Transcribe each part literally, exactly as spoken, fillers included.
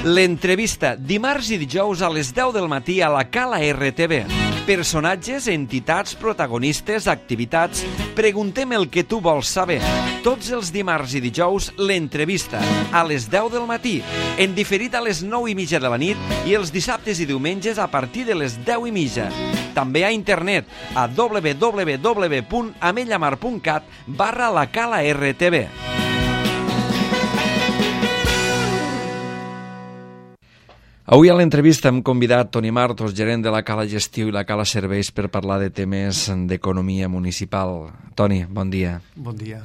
L'entrevista, dimarts i dijous a les deu del matí a la Cala R T V. Personatges, entitats, protagonistes, activitats... Preguntem el que tu vols saber. Tots els dimarts i dijous, l'entrevista, a les deu del matí, en diferit a les nou i mitja de la nit i els dissabtes i diumenges a partir de les deu i mitja. També a internet, a w w w punt amellamar punt cat barra la Cala R T V. Avui a l'entrevista hem convidat Toni Martos, gerent de la Cala Gestió i la Cala Serveis, per parlar de temes d'economia municipal. Toni, bon dia. Bon dia.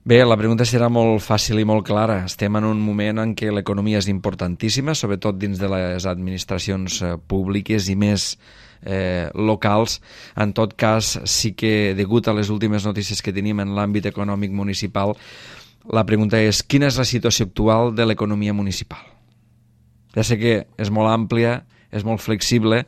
Bé, la pregunta serà molt fàcil i molt clara. Estem en un moment en què l'economia és importantíssima, sobretot dins de les administracions públiques i més eh, locals. En tot cas, sí que, degut a les últimes notícies que tenim en l'àmbit econòmic municipal, la pregunta és: quina és la situació actual de l'economia municipal? Ja sé que és molt àmplia, és molt flexible,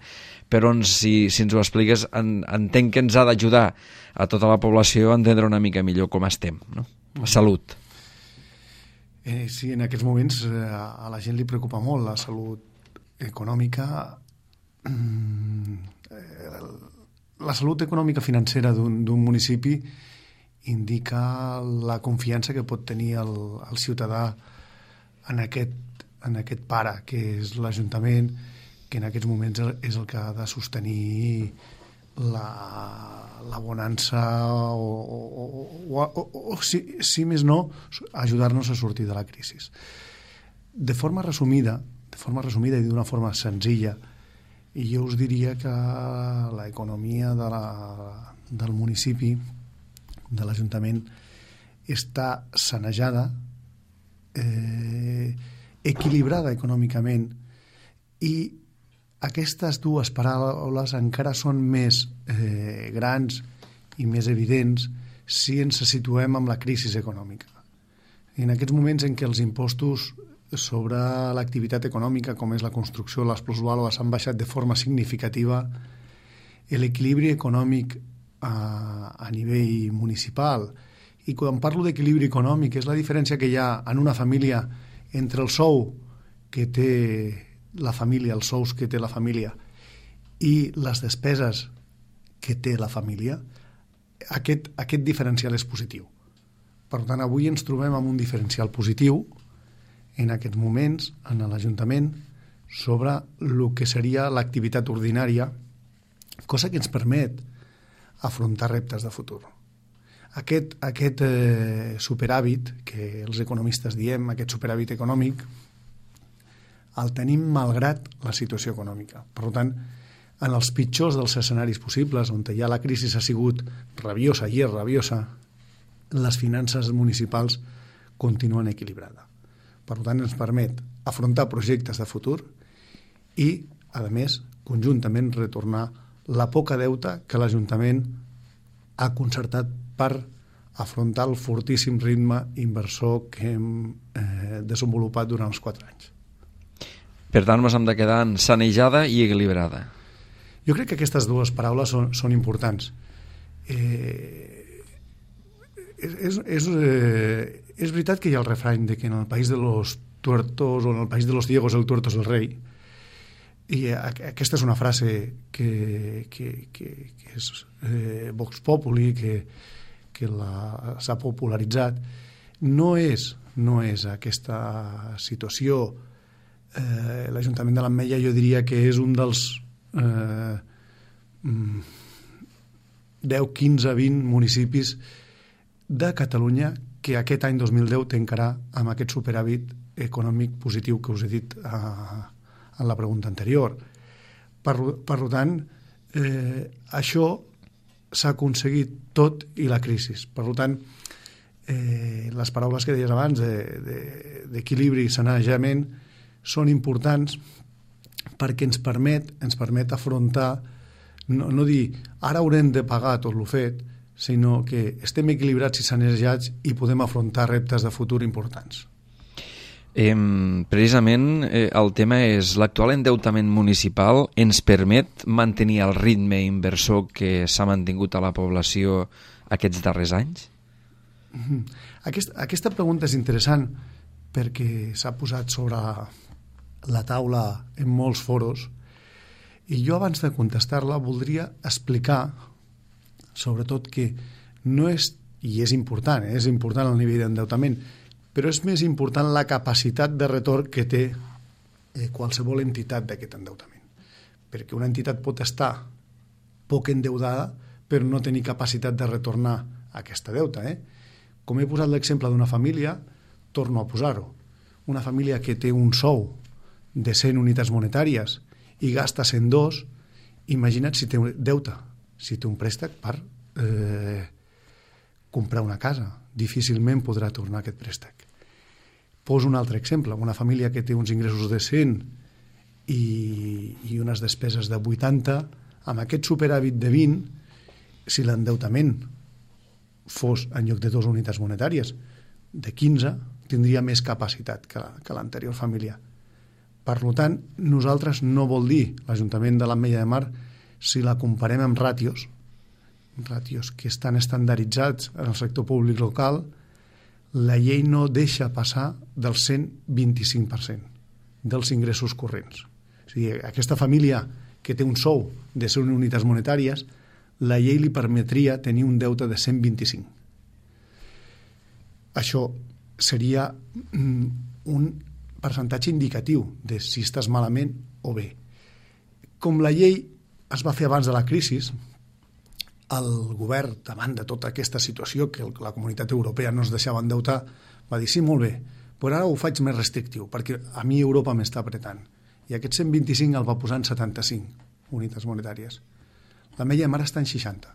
però si, si ens ho expliques, en, entenc que ens ha d'ajudar a tota la població a entendre una mica millor com estem, no? La salut. Eh, sí, en aquests moments eh, a la gent li preocupa molt la salut econòmica. Eh, la salut econòmica financera d'un d'un municipi indica la confiança que pot tenir el, el ciutadà en aquest en aquest pare, que és l'Ajuntament, que en aquests moments és el que ha de sostenir la, la bonança o, o, o, o, o si, si més no, ajudar-nos a sortir de la crisi. De forma resumida, de forma resumida i d'una forma senzilla, jo us diria que l'economia de la, del municipi, de l'Ajuntament, està sanejada, eh, equilibrada econòmicament, i aquestes dues paraules encara són més eh, grans i més evidents si ens situem amb la crisi econòmica. En aquests moments en què els impostos sobre l'activitat econòmica, com és la construcció, les plusvàlues, han baixat de forma significativa, l'equilibri econòmic a, a nivell municipal, i quan parlo d'equilibri econòmic és la diferència que hi ha en una família entre el sou que té la família, els sous que té la família i les despeses que té la família, aquest, aquest diferencial és positiu. Per tant, avui ens trobem amb un diferencial positiu en aquests moments en l'Ajuntament sobre el que seria l'activitat ordinària, cosa que ens permet afrontar reptes de futur. Aquest, aquest eh, superàvit, que els economistes diem, aquest superàvit econòmic, el tenim malgrat la situació econòmica. Per tant, en els pitjors dels escenaris possibles, on ja la crisi ha sigut rabiosa i és rabiosa, les finances municipals continuen equilibrades. Per tant, ens permet afrontar projectes de futur i, a més, conjuntament retornar la poca deute que l'Ajuntament ha concertat per afrontar el fortíssim ritme inversor que hem eh, desenvolupat durant els quatre anys. Per tant, ens hem de quedar en sanejada i equilibrada. Jo crec que aquestes dues paraules són, són importants. Eh, és, és, eh, és veritat que hi ha el refrany de que en el país de los tuertos o en el país de los ciegos el tuerto es el rei, i aquesta és una frase que, que, que, que és eh, Vox Populi, que, que s'ha popularitzat. No és, no és aquesta situació. Eh, L'Ajuntament de l'Ametlla jo diria que és un dels eh, deu, quinze, vint municipis de Catalunya que aquest any dos mil deu tancarà amb aquest superàvit econòmic positiu que us he dit a en la pregunta anterior. Per, per tant, eh, això s'ha aconseguit tot i la crisi. Per tant, eh, les paraules que deies abans d'equilibri de, de, i sanejament són importants perquè ens permet, ens permet afrontar, no, no dir ara haurem de pagar tot el fet, sinó que estem equilibrats i sanejats i podem afrontar reptes de futur importants. Eh, precisament eh, el tema és l'actual endeutament municipal ens permet mantenir el ritme inversor que s'ha mantingut a la població aquests darrers anys? Aquest, aquesta pregunta és interessant perquè s'ha posat sobre la taula en molts foros, i jo abans de contestar-la voldria explicar sobretot que no és, i és important, eh? és important el nivell d'endeutament, però és més important la capacitat de retorn que té eh, qualsevol entitat d'aquest endeutament. Perquè una entitat pot estar poc endeudada però no tenir capacitat de retornar aquesta deuta. Eh? Com he posat l'exemple d'una família, torno a posar-ho. Una família que té un sou de cent unitats monetàries i gasta cent dos, imagina't si té deute, si té un préstec per eh, comprar una casa. Difícilment podrà tornar aquest préstec. Poso un altre exemple. Una família que té uns ingressos de cent i, i unes despeses de vuitanta, amb aquest superàvit de vint, si l'endeutament fos en lloc de dues unitats monetàries de quinze, tindria més capacitat que, que l'anterior família. Per tant, nosaltres no vol dir l'Ajuntament de l'Ametlla de Mar, si la comparem amb ràtios, ràtios que estan estandarditzats en el sector públic local, la llei no deixa passar del cent vint-i-cinc per cent dels ingressos corrents. O sigui, aquesta família que té un sou de cent unitats monetàries, la llei li permetria tenir un deute de cent vint-i-cinc. Això seria un percentatge indicatiu de si estàs malament o bé. Com la llei es va fer abans de la crisi, el govern, davant de tota aquesta situació que la Comunitat Europea no es deixava endeutar, va dir, sí, molt bé, però ara ho faig més restrictiu, perquè a mi Europa m'està apretant. I aquest cent vint-i-cinc el va posar en setanta-cinc unitats monetàries. L'Ametlla de Mar està en seixanta.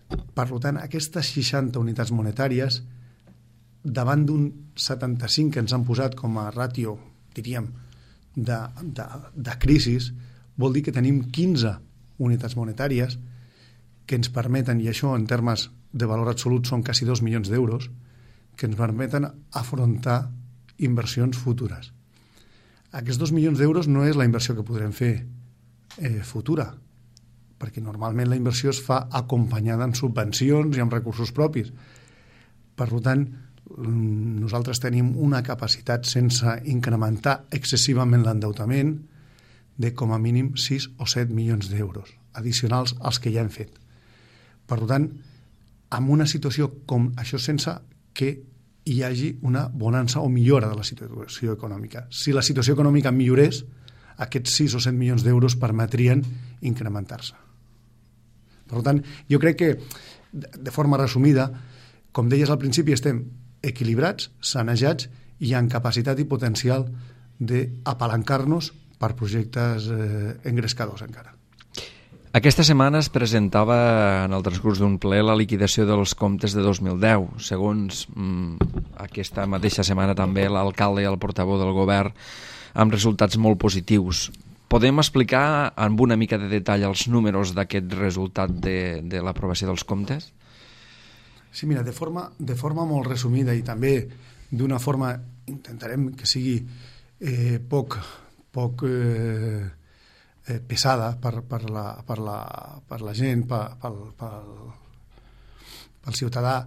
Per tant, aquestes seixanta unitats monetàries, davant d'un setanta-cinc que ens han posat com a ràtio, diríem, de, de, de crisi, vol dir que tenim quinze unitats monetàries que ens permeten, i això en termes de valor absolut són quasi dos milions d'euros, que ens permeten afrontar inversions futures. Aquests dos milions d'euros no és la inversió que podrem fer eh, futura, perquè normalment la inversió es fa acompanyada en subvencions i amb recursos propis. Per tant, nosaltres tenim una capacitat, sense incrementar excessivament l'endeutament, de com a mínim sis o set milions d'euros addicionals als que ja hem fet. Per tant, en una situació com això, sense que hi hagi una bonança o millora de la situació econòmica. Si la situació econòmica millorés, aquests sis o set milions d'euros permetrien incrementar-se. Per tant, jo crec que, de forma resumida, com deies al principi, estem equilibrats, sanejats i amb capacitat i potencial d'apalancar-nos per projectes eh, engrescadors encara. Aquesta setmana es presentava en el transcurs d'un ple la liquidació dels comptes de dos mil deu. Segons mmm, aquesta mateixa setmana també l'alcalde i el portaveu del govern, amb resultats molt positius. Podem explicar amb una mica de detall els números d'aquest resultat de, de l'aprovació dels comptes? Sí, mira, de forma, de forma molt resumida i també d'una forma, intentarem que sigui eh, poc, poc eh, eh, pesada per, per, la, per, la, per la gent, per, per, per, pel ciutadà.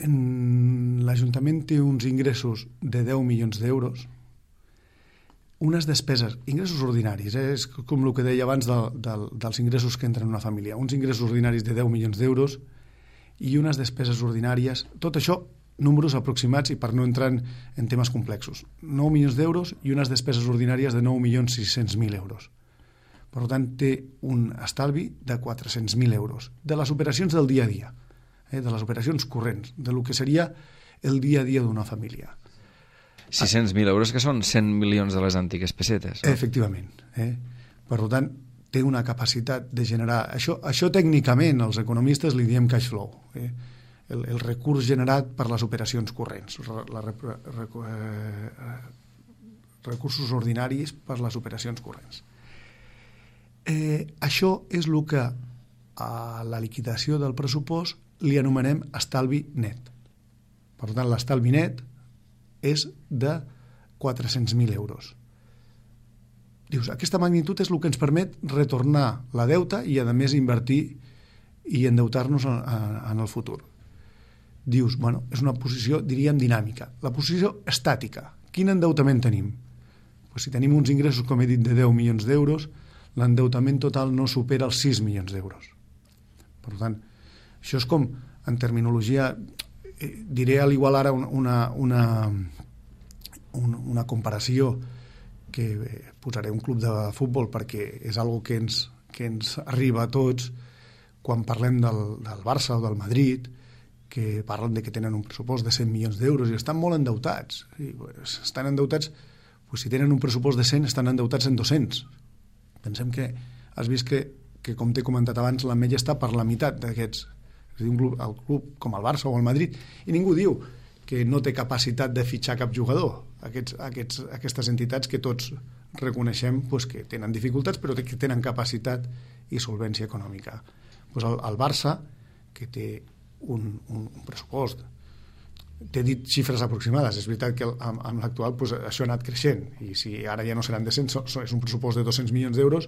L'Ajuntament té uns ingressos de deu milions d'euros, unes despeses, ingressos ordinaris, eh? És com el que deia abans de, de, dels ingressos que entren en una família, uns ingressos ordinaris de deu milions d'euros i unes despeses ordinàries, tot això números aproximats i per no entrar en, en temes complexos, nou milions d'euros i unes despeses ordinàries de nou milions sis-cents mil euros. Per tant, té un estalvi de quatre-cents mil euros, de les operacions del dia a dia, eh? De les operacions corrents, de lo que seria el dia a dia d'una família. sis-cents mil euros, que són cent milions de les antigues pessetes. No? Efectivament. Eh? Per tant, té una capacitat de generar... Això, això tècnicament, els economistes li diem cash flow. Eh? El, el recurs generat per les operacions corrents. La, la, rec, eh, recursos ordinaris per les operacions corrents. Eh, això és el que a la liquidació del pressupost li anomenem estalvi net. Per tant, l'estalvi net és de quatre-cents mil euros. Dius, aquesta magnitud és el que ens permet retornar la deuta i, a més, invertir i endeutar-nos en, en el futur. dius, bueno, és una posició, diríem, dinàmica. La posició estàtica. Quin endeutament tenim? Pues si tenim uns ingressos, com he dit, de deu milions d'euros, l'endeutament total no supera els sis milions d'euros. Per tant, això és com, en terminologia, eh, diré a l'igual ara una, una, una, una comparació que eh, posaré un club de futbol perquè és algo que ens, que ens arriba a tots quan parlem del, del Barça o del Madrid, que parlen de que tenen un pressupost de cent milions d'euros i estan molt endeutats. I, pues, estan endeutats, pues, si tenen un pressupost de cent, estan endeutats en dos-cents. Pensem que has vist que, que com t'he comentat abans, la Mella està per la meitat d'aquests. És a dir, un club, el club com el Barça o el Madrid, i ningú diu que no té capacitat de fitxar cap jugador. Aquests, aquests, aquestes entitats que tots reconeixem pues, que tenen dificultats, però que tenen capacitat i solvència econòmica. Pues el, el Barça, que té un, un, un pressupost, t'he dit xifres aproximades, és veritat que amb, amb l'actual pues, això ha anat creixent, i si ara ja no seran de cent, so, so, és un pressupost de dos-cents milions d'euros,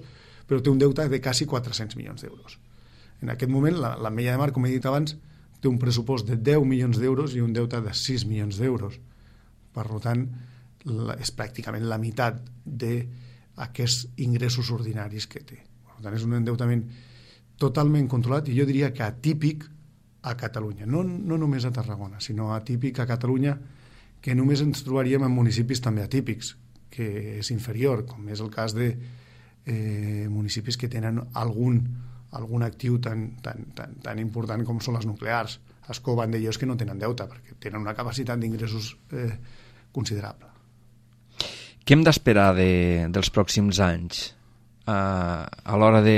però té un deute de quasi quatre-cents milions d'euros. En aquest moment, la, la Mella de Mar, com he dit abans, té un pressupost de deu milions d'euros i un deute de sis milions d'euros. Per tant, la, és pràcticament la meitat d'aquests ingressos ordinaris que té. Per tant, és un endeutament totalment controlat i jo diria que atípic a Catalunya. No, no només a Tarragona, sinó atípic a Catalunya, que només ens trobaríem en municipis també atípics, que és inferior, com és el cas de eh, municipis que tenen algun, algun actiu tan, tan, tan, tan important com són les nuclears. Ascó, Vandellòs, que no tenen deute, perquè tenen una capacitat d'ingressos eh, considerable. Què hem d'esperar de, dels pròxims anys a, a l'hora de...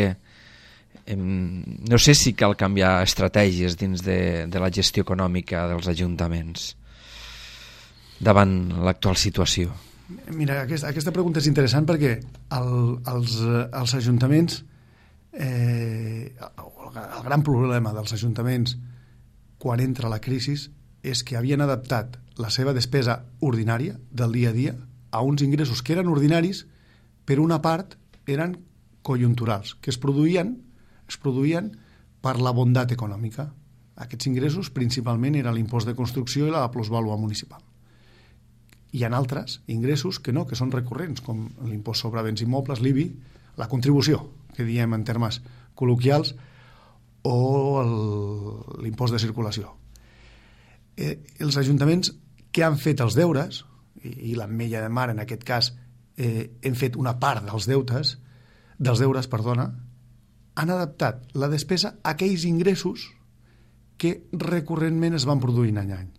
No sé si cal canviar estratègies dins de, de la gestió econòmica dels ajuntaments davant l'actual situació. Mira, aquesta, aquesta pregunta és interessant perquè el, els, els ajuntaments, eh, el gran problema dels ajuntaments quan entra la crisi és que havien adaptat la seva despesa ordinària del dia a dia a uns ingressos que eren ordinaris, per una part eren conjunturals, que es produïen es produïen per la bondat econòmica. Aquests ingressos principalment eren l'impost de construcció i la plusvàlua municipal. Hi ha altres ingressos que no, que són recurrents, com l'impost sobre béns immobles, l'I B I, la contribució, que diem en termes col·loquials, o l'impost de circulació. Eh, els ajuntaments que han fet els deures, i, i l'Ametlla de Mar en aquest cas, eh, hem fet una part dels deutes, dels deures, perdona, han adaptat la despesa a aquells ingressos que recurrentment es van produint any a any.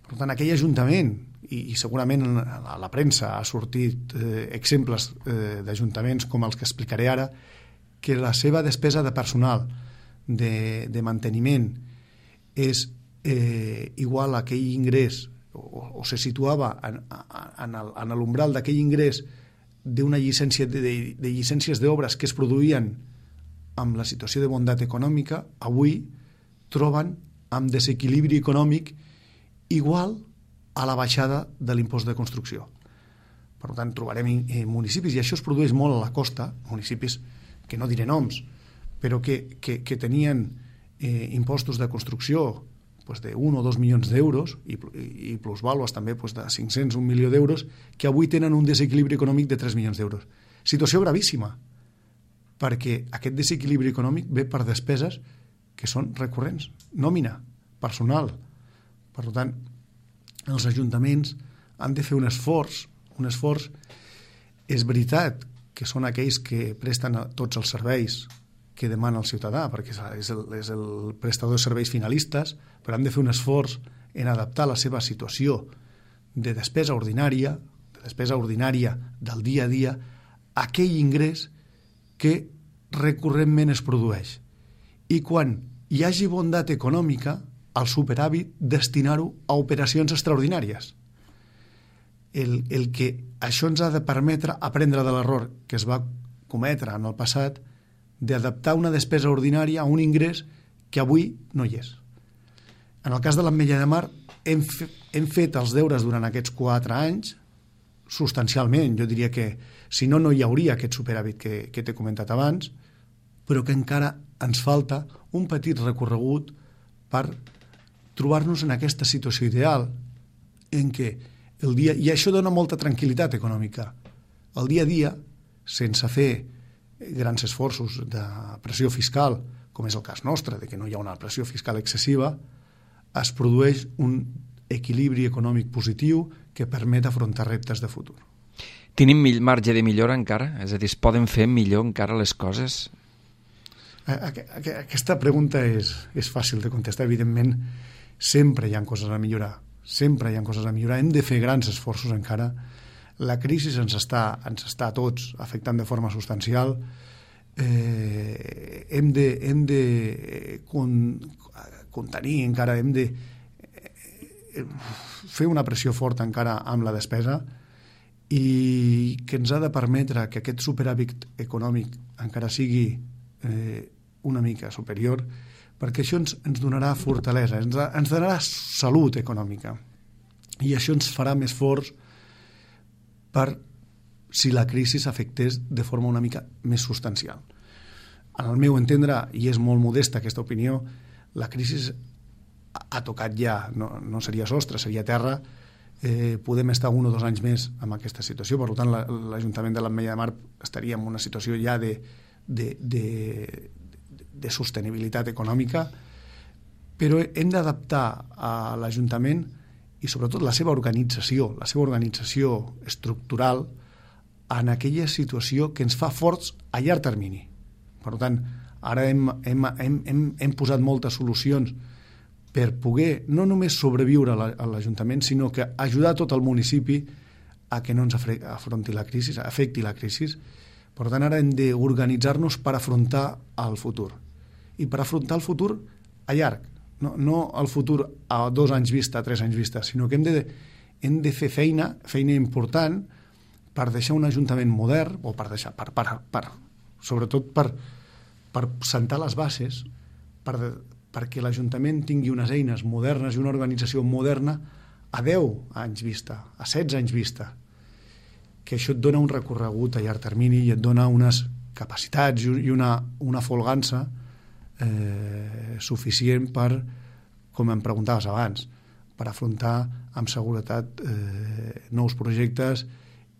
Per tant, aquell ajuntament, i, i segurament a la premsa ha sortit eh, exemples eh, d'ajuntaments com els que explicaré ara, que la seva despesa de personal, de, de manteniment, és eh, igual a aquell ingrés, o, o se situava en, en, el, en l'umbral d'aquell ingrés d'una llicència de, de, de llicències d'obres que es produïen amb la situació de bondat econòmica, avui troben amb desequilibri econòmic igual a la baixada de l'impost de construcció. Per tant, trobarem municipis, i això es produeix molt a la costa, municipis que no diré noms, però que, que, que tenien eh, impostos de construcció pues, d'un o dos milions d'euros i, i plusvàlues també pues, de cinc-cents, un milió d'euros, que avui tenen un desequilibri econòmic de tres milions d'euros. Situació gravíssima, perquè aquest desequilibri econòmic ve per despeses que són recurrents, nòmina, personal. Per tant, els ajuntaments han de fer un esforç, un esforç, és veritat que són aquells que presten tots els serveis que demana el ciutadà, perquè és el, és el prestador de serveis finalistes, però han de fer un esforç en adaptar la seva situació de despesa ordinària, de despesa ordinària del dia a dia, a aquell ingrés que recurrentment es produeix. I quan hi hagi bondat econòmica, el superàvit destinar-ho a operacions extraordinàries. El, el que això ens ha de permetre aprendre de l'error que es va cometre en el passat d'adaptar una despesa ordinària a un ingrés que avui no hi és. En el cas de l'Ametlla de Mar hem, fe, hem fet els deures durant aquests quatre anys substancialment. Jo diria que si no, no hi hauria aquest superàvit que, que t'he comentat abans, però que encara ens falta un petit recorregut per trobar-nos en aquesta situació ideal en què el dia... I això dona molta tranquil·litat econòmica. El dia a dia, sense fer grans esforços de pressió fiscal, com és el cas nostre, de que no hi ha una pressió fiscal excessiva, es produeix un equilibri econòmic positiu que permet afrontar reptes de futur. Tenim marge de millora encara? És a dir, es poden fer millor encara les coses? Aquesta pregunta és, és fàcil de contestar. Evidentment, sempre hi ha coses a millorar. Sempre hi ha coses a millorar. Hem de fer grans esforços encara. La crisi ens està, ens està a tots afectant de forma substancial. Eh, hem de, hem de con, contenir encara, hem de eh, fer una pressió forta encara amb la despesa i que ens ha de permetre que aquest superàvit econòmic encara sigui eh, una mica superior, perquè això ens, ens donarà fortalesa, ens, ens donarà salut econòmica i això ens farà més forts per si la crisi s'afectés de forma una mica més substancial. En el meu entendre, i és molt modesta aquesta opinió, la crisi ha tocat ja, no, no seria sostre, seria terra. Eh, podem estar un o dos anys més en aquesta situació, per tant l'Ajuntament de l'Ametlla de Mar estaria en una situació ja de, de, de, de sostenibilitat econòmica, però hem d'adaptar a l'Ajuntament i sobretot la seva organització, la seva organització estructural en aquella situació que ens fa forts a llarg termini. Per tant, ara hem, hem, hem, hem, hem posat moltes solucions per poder no només sobreviure a l'Ajuntament, sinó que ajudar tot el municipi a que no ens afronti la crisi, afecti la crisi. Per tant, ara hem d'organitzar-nos per afrontar el futur. I per afrontar el futur a llarg, no, no el futur a dos anys vista, a tres anys vista, sinó que hem de, hem de fer feina, feina important, per deixar un Ajuntament modern, o per deixar, per, per, per, sobretot per, per sentar les bases, per perquè l'Ajuntament tingui unes eines modernes i una organització moderna a deu anys vista, a setze anys vista, que això et dona un recorregut a llarg termini i et dona unes capacitats i una, una folgança eh, suficient per, com em preguntaves abans, per afrontar amb seguretat eh, nous projectes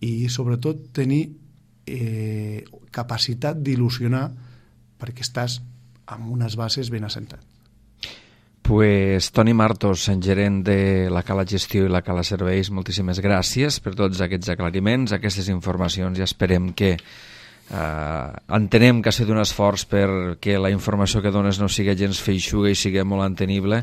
i sobretot tenir eh, capacitat d'il·lusionar perquè estàs amb unes bases ben assentats. Pues Toni Martos, gerent de la Cala Gestió i la Cala Serveis, moltíssimes gràcies per tots aquests aclariments, aquestes informacions, i esperem que eh, entenem que ha sigut un esforç perquè la informació que dones no sigui gens feixuga i sigui molt entenible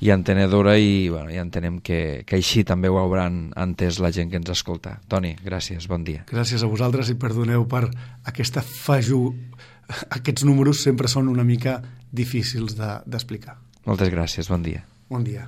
i entenedora, i, bueno, i entenem que, que així també ho hauran entès la gent que ens escolta. Toni, gràcies, bon dia. Gràcies a vosaltres i perdoneu per aquesta faju... Aquests números sempre són una mica difícils d'explicar. Moltes gràcies, bon dia. Bon dia.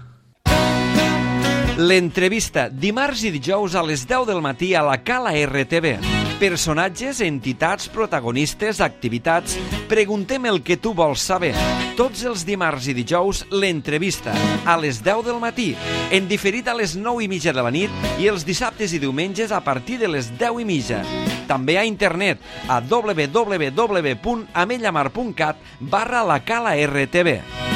L'entrevista, dimarts i dijous a les deu del matí a la Cala R T V. Personatges, entitats, protagonistes, activitats... Preguntem el que tu vols saber. Tots els dimarts i dijous, l'entrevista, a les deu del matí, en diferit a les nou i mitja de la nit i els dissabtes i diumenges a partir de les deu i mitja. També a internet a w w w punt ametlla mar punt cat barra la Cala R T V.